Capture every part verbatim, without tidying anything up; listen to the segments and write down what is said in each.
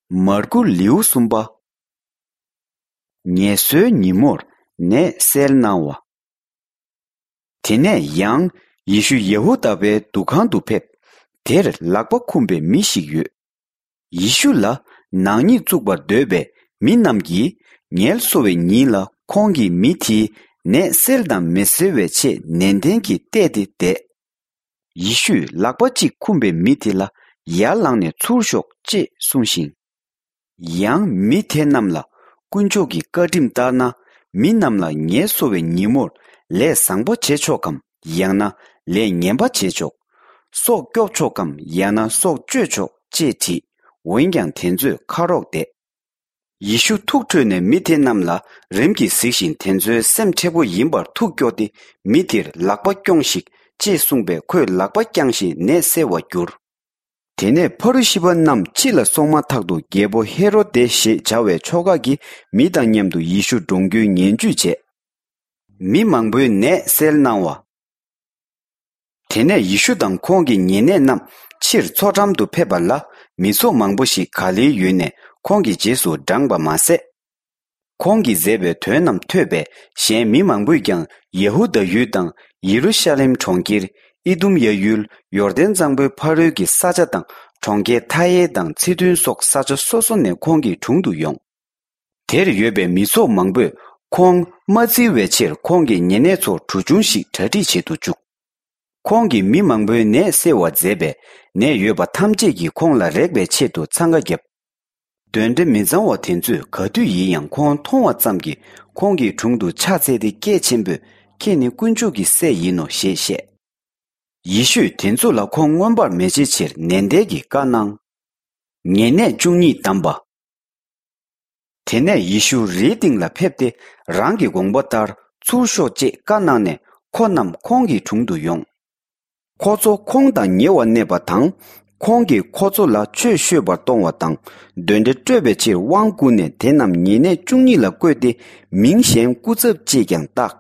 མར་ཀུ་ལེའུ་གསུམ་པ། ངལ་གསོའི་ཉིན་མོར་ནད་སེལ་གནང་བ། དེ་ནས་ཡང་ཡེ་ཤུ་ཡ་ཧུ་དཱ་པའི་འདུ་ཁང་དུ་ཕེབས། དེར་ལག་པ་འཁུམས་པའི་མི་ཞིག་ཡོད། ཡེ་ཤུ་ལ་ནག་ཉེས་བཙུགས་པར་འདོད་པའི་མི་རྣམས་ཀྱིས་ངལ་གསོ་བའི་ཉིན་ལ་ཁོང་གིས་མི་དེའི་ནད་སེལ་དང་མི་སེལ་བའི་ཆེད་ནན་ཏན་གྱིས་བལྟས་ཏེ་བསྡད། ཡེ་ཤུས་ལག་པ་གཅིག་འཁུམས་པའི་མི་དེ་ལ་ཡར་ལངས་ནས་ཚུར་ཤོག་ཅེས་གསུངས་ཤིང་། ཡང་མི་དེ་རྣམས་ལ་དཀོན་མཆོག་གི་བཀའ་ཁྲིམས་ལྟར་ན། མི་རྣམས་ལ་ངལ་གསོ་བའི་ཉིན་མོར་ལས་བཟང་པོ་བྱེད་ཆོག་གམ། ཡང་ན་ལས་ངན་པ་བྱེད་ཆོག། སྲོག་སྐྱོབ་ཆོག་གམ། ཡང་ན་སྲོག་གཅོད་ཆོག་ཅེས་དྲིས། འོན་ཀྱང་དེ་ཚོས་ཁ་རོག་བསྡད། ཡེ་ཤུ་ཐུགས་ཁྲོས་ནས་མི་དེ་རྣམས་ལ་རིམ་གྱིས་གཟིགས་ཤིང་། དེ་ཚོའི་སེམས་མཁྲེགས་པོ་ཡིན་པར་ཐུགས་སྐྱོ་སྟེ། མི་དེར་ལག་པ་རྐྱོངས་ཤིག་ཅེས་གསུངས་པས། ཁོས་ལག་པ་བརྐྱངས་ཤིང་ནད་སེལ་བར་གྱུར། དེ་ནས་ཕ་རུ་ཤི་པ་རྣམས་ཕྱི་ལ་སོང་མ་ཐག་ཏུ། རྒྱལ་པོ་ཧེ་རོ་དེ་ཞེས་བྱ་བའི་ཕྱོགས་ཁག་གི་མི་དང་མཉམ་དུ་ཡེ་ཤུ་འགྲོངས་རྒྱུའི་ངན་ཇུས་བྱས། མི་མང་པོའི་ནད་སེལ་གནང་བ། དེ་ནས་ཡེ་ཤུ་དང་ཁོང་གི་ཉེ་གནས་རྣམས་ཕྱིར་མཚོ་འགྲམ་དུ་ཕེབས་པ་ལ། མི་ཚོགས་མང་པོ་ཞིག་ག་ལེའི་ཡུལ་ནས་ཁོང་གི་རྗེས་སུ་འབྲངས་པ་མ་ཟད། ཁོང་གིས་མཛད་པའི་དོན་རྣམས་ཐོས་པས། གཞན་མི་མང་པོས་ཀྱང་ཡ་ཧུ་དཱ་ཡུལ་དང་ཡེ་རུ་ཤ་ལེམ་གྲོང་ཁྱེར། ཨི་དུམ་ཡ་ཡུལ། ཡོར་དན་གཙང་པོའི་ཕ་རོལ་གྱི་ས་ཆ་དང་། གྲོང་ཁྱེར་མཐའ་ཡས་དང་ཚི་དོན་སོགས་ས་ཆ་སོ་སོ་ནས་ཁོང་གི་དྲུང་དུ་ཡོང་། དེར་ཡོད་པའི་མི་ཚོགས་མང་པོས་ཁོང་མ་བཙིར་བའི་ཕྱིར། ཁོང་གི་ཉེ་གནས་ཚོར་གྲུ་ཆུང་ཞིག་གྲ་སྒྲིག་བྱེད་དུ་བཅུག། ཁོང་གིས་མི་མང་པོའི་ནད་སེལ་བར་མཛད་པས། ནད་ཡོད་པ་ཐམས་ཅད་ཀྱིས་ཁོང་ལ་རེག་པའི་ཆེད་དུ་འཚང་ཁ་བརྒྱབ། གདོན་འདྲེ་མི་གཙང་བ་དེ་ཚོས་ག་དུས་ཡིན་ཡང་ཁོང་མཐོང་བ་ཙམ་གྱིས། ཁོང་གི་དྲུང་དུ་ཕྱག་འཚལ་ཏེ་སྐད་ཆེན་པོས། ཁྱེད་ནི་དཀོན་མཆོག་གི་སྲས་ཡིན་ནོ་ཞེས་བཤད། ཡེ་ཤུས་དེ་ཚོ་ལ་ཁོང་མངོན་པར་མི་བྱེད་ཕྱིར་ནན་ཏན་གྱིས་བཀའ་གནང་། ཉེ་གནས་བཅུ་གཉིས་བདམས་པ། དེ་ནས་ཡེ་ཤུ་རིའི་སྟེང་ལ་ཕེབས་ཏེ། རང་གི་དགོངས་པ་ལྟར་ཚུར་ཤོག་ཅེས་བཀའ་གནང་ནས། ཁོ་རྣམས་ཁོང་གི་དྲུང་དུ་ཡོང་། ཁོ་ཚོ་ཁོང་དང་ཉེ་བར་གནས་པ་དང་། ཁོང་གིས་ཁོ་ཚོ་ལ་ཆོས་ཤོད་པར་གཏོང་བ་དང་། གདོན་འདྲེ་སྐྲོད་པའི་ཕྱིར་དབང་བསྐུར་ནས། དེ་རྣམས་ཉེ་གནས་བཅུ་གཉིས་ལ་བསྐོས་ཏེ། མིང་གཞན་སྐུ་ཚབ་ཅེས་ཀྱང་བཏགས།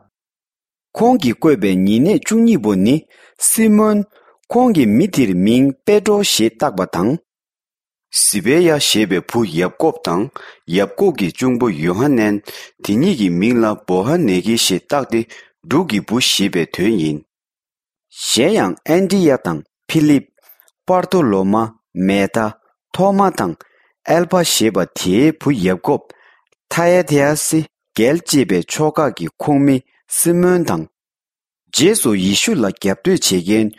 ཁོང་གིས་བསྐོས་པའི་ཉེ་གནས་བཅུ་གཉིས་པོ་ནི། སི་མོན། ཁོང་གིས་མི་དེར་མིང་པེ་ཏྲོ་ཞེས་བཏགས་པ་དང་། སི་བེ་ཡ་ཞེས་པའི་བུ་ཡབ་ཀོབ་དང་། ཡབ་ཀོབ་ཀྱི་གཅུང་པོ་ཡོ་ཧ་ནན། དེ་གཉིས་ཀྱི་མིང་ལ་བོ་ཧ་ནེ་གི་ཞེས་བཏགས་ཏེ། འབྲུག་གི་བུ་ཞེས་པའི་དོན་ཡིན། གཞན་ཡང་ཨན་ཏི་ཡ་དང་ཕི་ལིབ། པར་ཐོ་ལོ་མ། མེ་ཐ། ཐོ་མ་དང་། ཨེལ་ཕ་ཞེས་པ་དེའི་བུ་ཡབ་ཀོབ། ཐ་ཡ་ཐེ་ཡ་སི་གལ་ཅེས་པའི་ཕྱོགས་ཁག་གི་ཁོངས་མི་སི་མོན་དང་། རྗེས་སུ་ཡེ་ཤུ་ལ་རྒྱབ་གཏོད་བྱེད་མཁན་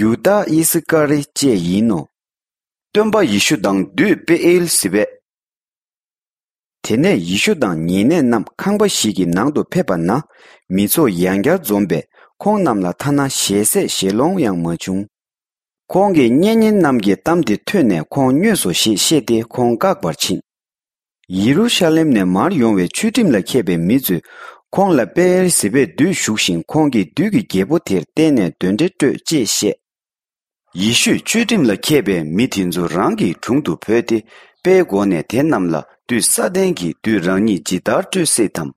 ཡུ་དཱ་ཨི་སི་ཀ་རི་བཅས་ཡིན་ནོ། སྟོན་པ་ཡེ་ཤུ་དང་བདུད་པེ་ཨེལ་སི་བེ། དེ་ནས་ཡེ་ཤུ་དང་ཉེ་གནས་རྣམས་ཁང་པ་ཞིག་གི་ནང་དུ་ཕེབས་པ་ན། མི་ཚོགས་ཡང་བསྐྱར་འཛོམས་པས། ཁོང་རྣམས་ལ་ཐ་ན་ཞལ་ཟས་བཞེས་ལོང་ཡང་མ་བྱུང་། ཁོང་གིས་གཉེན་ཉེ་རྣམས་ཀྱི་གཏམ་དེ་ཐོས་ནས། ཁོང་སྨྱོས་སོ་ཞེས་བཤད་དེ། ཁོང་བཀག་པར་ཕྱིན། ཡེ་རུ་ཤ་ལེམ་ནས་མར་ཡོང་བའི་ཆོས་ཁྲིམས་ལ་མཁས་པའི་མི་ཚོས་ཁོང་ལ་པེ་ཨེལ་སི་བེ་བདུད་ཞུགས་ཤིང་། ཁོང་གིས་བདུད་ཀྱི་རྒྱལ་པོ་དེར་བརྟེན་ནས་གདོན་འདྲེ་སྐྲོད་ཅེས་བཤད། ཡེ་ཤུས་ཆོས་ཁྲིམས་ལ་མཁས་པའི་མི་དེ་ཚོ་རང་གི་དྲུང་དུ་བོས་ཏེ། དཔེའི་སྒོ་ནས་དེ་རྣམས་ལ། བདུད་སཱ་ཏན་གྱིས་བདུད་རང་ཉིད་ཇི་ལྟར་སྐྲོད་སྲིད་དམ།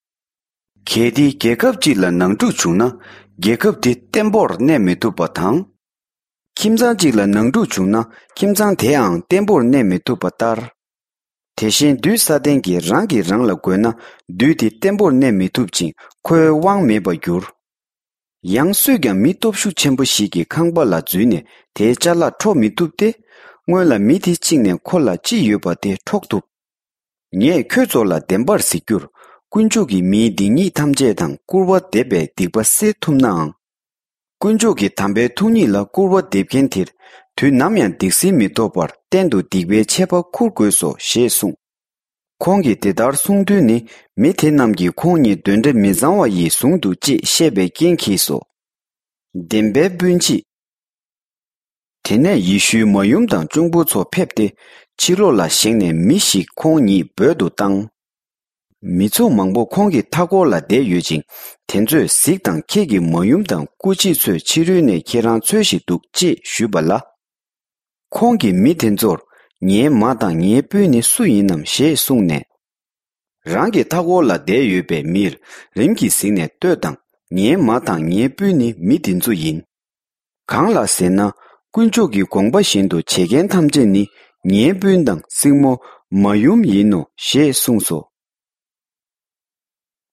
གལ་ཏེ་རྒྱལ་ཁབ་ཅིག་ལ་ནང་འཁྲུག་བྱུང་ན། རྒྱལ་ཁབ་དེ་བརྟན་པོར་གནས་མི་ཐུབ་པ་དང་། ཁྱིམ་ཚང་གཅིག་ལ་ནང་འཁྲུག་བྱུང་ན། ཁྱིམ་ཚང་དེའང་བརྟན་པོར་གནས་མི་ཐུབ་པ་ལྟར། དེ་བཞིན་བདུད་སཱ་ཏན་གྱིས་རང་གིས་རང་ལ་རྒོལ་ན། བདུད་དེ་བརྟན་པོར་གནས་མི་ཐུབ་ཅིང་། ཁོའི་དབང་མེད་པར་འགྱུར། ཡང་སུས་ཀྱང་མི་སྟོབས་ཤུགས་ཆེན་པོ་ཞིག་གི་ཁང་པ་ལ་འཛུལ་ནས། དེའི་ཅ་ལག་འཕྲོག་མི་ཐུབ་སྟེ། སྔོན་ལ་མི་དེ་བཅིངས་ནས་ཁོ་ལ་ཅི་ཡོད་པ་དེ་འཕྲོག་ཐུབ། ངས་ཁྱོད་ཚོ་ལ་བདེན་པར་ཟེར་རྒྱུར། དཀོན་མཆོག་གིས་མིའི་སྡིག་ཉེས་ཐམས་ཅད་དང་སྐུར་བ་འདེབས་པའི་སྡིག་པ་སེལ་ཐུབ་ནའང་། དཀོན་མཆོག་གི་དམ་པའི་ཐུགས་ཉིད་ལ་སྐུར་བ་འདེབས་མཁན་དེར། དུས་ནམ་ཡང་སྡིག་སེལ་མི་ཐོབ་པར། གཏན་དུ་སྡིག་པའི་ཆད་པ་འཁུར་དགོས་སོ་ཞེས་གསུངས། ཁོང་གིས་དེ་ལྟར་གསུངས་དུས་ནི། མི་དེ་རྣམས་ཀྱིས་ཁོང་ཉིད་གདོན་འདྲེ་མི་གཙང་བ་ཡིས་བཟུང་འདུག་ཅེས་བཤད་པའི་རྐྱེན་གྱིས་སོ། བདེན་པའི་སྤུན་མཆེད། དེ་ནས་ཡེ་ཤུའི་མ་ཡུམ་དང་གཅུང་པོ་ཚོ་ཕེབས་ཏེ། ཕྱི་ལོགས་ལ་བཞེངས་ནས་མི་ཞིག་ཁོང་ཉིད་འབོད་དུ་བཏང་། མི་ཚོགས་མང་པོ་ཁོང་གི་མཐའ་འཁོར་ལ་བསྡད་ཡོད་ཅིང་། དེ་ཚོས་གཟིགས་དང་། ཁྱེད་ཀྱི་མ་ཡུམ་དང་སྐུ་མཆེད་ཚོས་ཕྱི་རོལ་ནས་ཁྱེད་རང་འཚོལ་བཞིན་འདུག་ཅེས་ཞུས་པ་ལ། ཁོང་གིས་མི་དེ་ཚོར། ངའི་མ་དང་ངའི་སྤུན་ནི་སུ་ཡིན་ནམ་ཞེས་གསུངས་ནས། རང་གི་མཐའ་འཁོར་ལ་བསྡད་ཡོད་པའི་མིར་རིམ་གྱིས་གཟིགས་ནས། ལྟོས་དང་། ངའི་མ་དང་ངའི་སྤུན་ནི་མི་འདི་ཚོ་ཡིན། གང་ལགས་ཟེར་ན། དཀོན་མཆོག་གི་དགོངས་པ་བཞིན་དུ་བྱེད་མཁན་ཐམས་ཅད་ནི། ངའི་སྤུན་དང་སྲིང་མོ། མ་ཡུམ་ཡིན་ནོ་ཞེས་གསུངས་སོ།